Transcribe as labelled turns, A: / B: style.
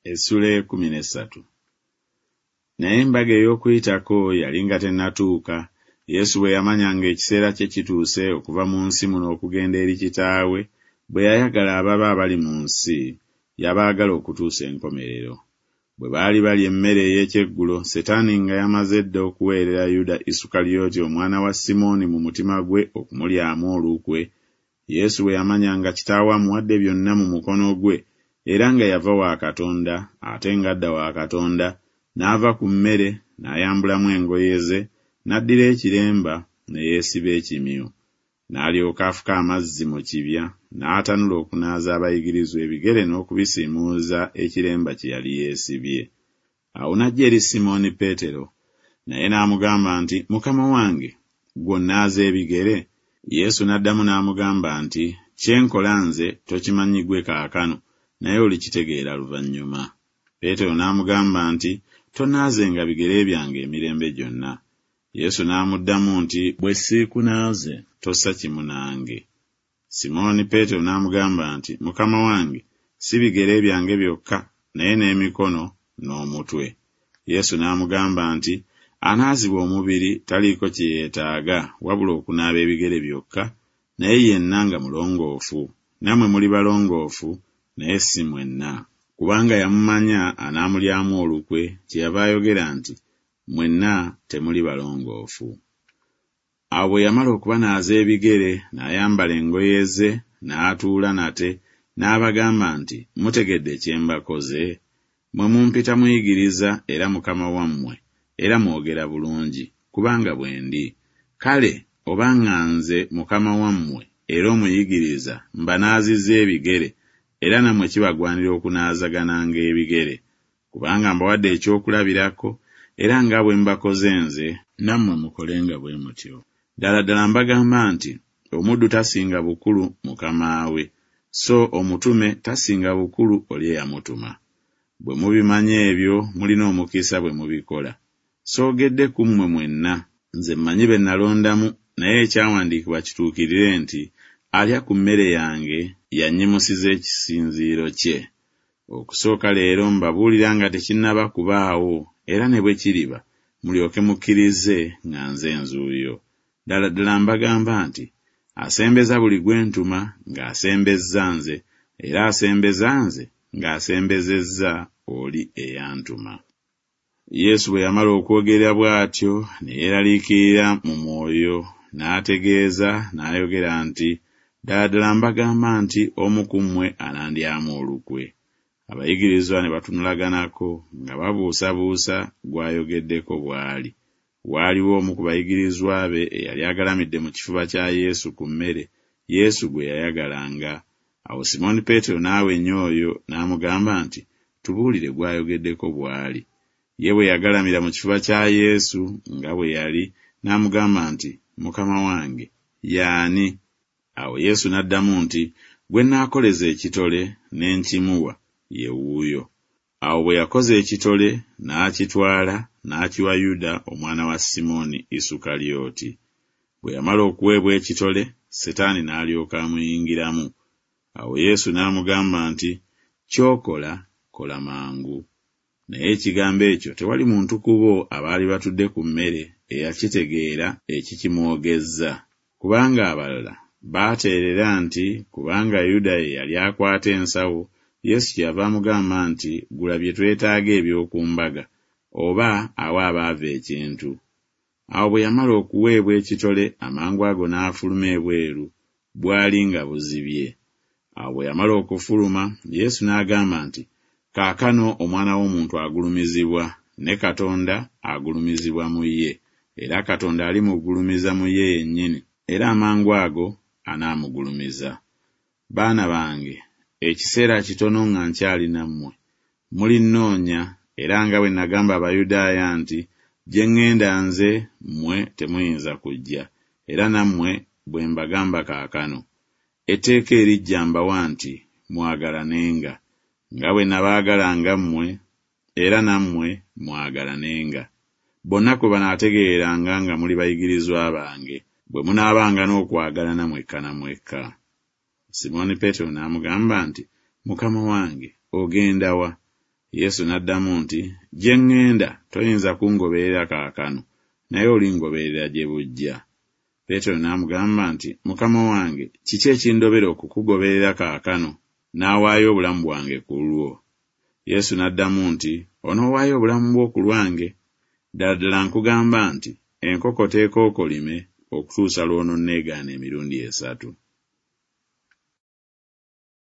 A: Essula 13. Naye embaga ey'Okuyitako yali nga tennatuuka, Yesu bwe yamanya ng'ekiseera kye kituuse okuva mu nsi muno okugenda eri Kitaawe, bwe yayagala ababe abali mu nsi, yabaagala okutuusa enkomerero. Bwe baali balya emmere ey'ekyeggulo, Setaani nga yamaze dda okuweerera Yuda Isukalyoti omwana wa Simooni mu mutima gwe okumulyamu olukwe, Yesu bwe yamanya nga Kitaawe amuwadde byonna mu mukono gwe, era nga yava wa Katonda, ate ng'adda wa Katonda, n'ava ku mmere, n'ayambulamu engoye ze, n'addira ekiremba, ne yeesiba ekimyu. N'alyoka afuka amazzi mu kibya, n'atanula okunaaza abayigirizwa ebigere n'okubisiimuuza ekiremba kye yali yeesibye. Awo n'ajja eri Simooni Peetero. Naye n'amugamba nti, Mukama wange, ggwe onnaaza ebigere? Yesu n'addamu n'amugamba nti, Kye nkola nze tokimanyi ggwe kaakano, naye olikitegeera luvannyuma. Peetero n'amugamba nti, Tonnaazenga bigere byange emirembe gyonna. Yesu n'amuddamu nti, Bwe siikunaaze, tossa kimu nange. Simooni Peetero n'amugamba nti, Mukama wange, si bigere byange byokka, naye n'emikono n'omutwe. Yesu n'amugamba nti, Anaazibwa omubiri taliiko kye yeetaaga wabula okunaaba ebigere byokka, naye yenna nga mulongoofu. Nammwe muli balongoofu, naye si mwenna. Kubanga yamumanya anaamulyamu olukwe, kyeyava ayogera nti, Mwenna temuli balongoofu. Awo bwe yamala okubanaaza ebigere, n'ayambala engoye ze, n'atuula nate, n'abagamba nti, Mutegedde kye mbakoze? Mmwe mumpita Muyigiriza era Mukama wammwe, era mwogera bulungi, kubanga bwe ndi. Kale oba nga nze Mukama wammwe era Omuyigiriza mbanaazizza ebigere, era nammwe kibagwanira okunaazagananga ebigere. Kubanga mbawadde ekyokulabirako, era nga bwe mbakoze nze, nammwe mukolenga bwe mutyo. Ddala ddala mbagamba nti, Omuddu tasinga bukulu mukama we, so omutume tasinga bukulu oli eyamutuma. Bwe mubimanya ebyo, mulina omukisa bwe mubikola. Soogedde ku mmwe mwenna, nze mmanyi be nalondamu, naye ekyawandiikibwa kituukirire nti Alya ku mmere yange y'annyimusiza ekisinziiro kye. Okusooka leero mbabuulira nga tekinnaba kubaawo, era ne bwe kiriba, mulyoke mukkirize nga nze nzuuyo. Ddala ddala mbagamba nti, Asembeza buli gwe ntuma, ng'asembezza nze, era asembeza nze, ng'asembezezza oli eyantuma. Yesu bwe yamala okwogera bw'atyo, ne yeeraliikirira mu mwoyo, n'ategeeza, n'ayogera nti, Ddala ddala mbagamba nti Omu ku mmwe anandyamu olukwe. Abayigirizwa ne batunulaganako, nga babuusabuusa gw'ayogeddeko bw'ali. Waaliwo omu ku bayigirizwa be eyali agalamidde mu kifuba kya Yesu ku mmere, Yesu gwe yayagalanga. Awo Simooni Peetero n'awenya oyo, n'amugamba nti, Tubuulire gw'ayogeddeko bw'ali. Ye bwe yagalamira mu kifuba kya Yesu nga bwe yali, n'amugamba nti, Mukama wange, ye ani? Awo Yesu n'addamu nti, Gwe nnaakoleza ekitole ne nkimuwa, ye wuuyo. Awo bwe yakoza ekitole, n'akitwala, n'akiwa Yuda omwana wa Simooni Isukalyoti. Bwe yamala okuweebwa ekitole, Setaani n'alyoka amuyingiramu. Awo Yesu n'amugamba nti, Ky'okola, kola mangu. Naye ekigambo ekyo tewali muntu ku bo abaali batudde ku mmere eyakitegeera ekikimwogezza. Kubanga abalala baateerera nti Kubanga Yuda ye yali akwata ensawo, Yesu kyeyava amugamba nti Gula bye twetaaga eby'oku mbaga, oba awe abaavu ekintu. Awo bwe yamala okuweebwa ekitole, amangu ago n'afuluma ebweru, bwali nga buzibye. Awo bwe yamala okufuluma, Yesu n'agamba nti, Kaakano Omwana w'omuntu agulumizibwa, ne Katonda agulumizibwa mu ye, era Katonda alimugulumiza mu ye yennyini, era amangu ago anaamugulumiza. Baana bange, ekiseera kitono nga nkyali nammwe. Mulinnoonya, era nga bwe nagamba Abayudaaya nti Gye ŋŋenda nze, mmwe temuyinza kujja, era nammwe bwe mbagamba kaakano. Etteeka eriggya mbawa nti Mwagalanenga. Nga bwe nabaagalanga mmwe, era nammwe mwagalanenga. Bonna kwe banaategeereranga nga muli bayigirizwa bange, bwe munaabanga n'okwagalana mwekka na mwekka. Simooni Peetero n'amugamba nti, Mukama wange, ogenda wa? Yesu n'addamu nti, Gye ŋŋenda toyinza kungoberera kaakano, naye olingoberera gye bujja. Peetero n'amugamba nti, Mukama wange, kiki ekindobera okukugoberera kaakano? Naawaayo obulamu bwange ku lulwo. Yesu n'addamu nti, Onoowaayo obulamu bwo ku lwange? Ddala ddala nkugamba nti, Enkoko teekookolime okutuusa lw'ononneegaana emirundi esatu.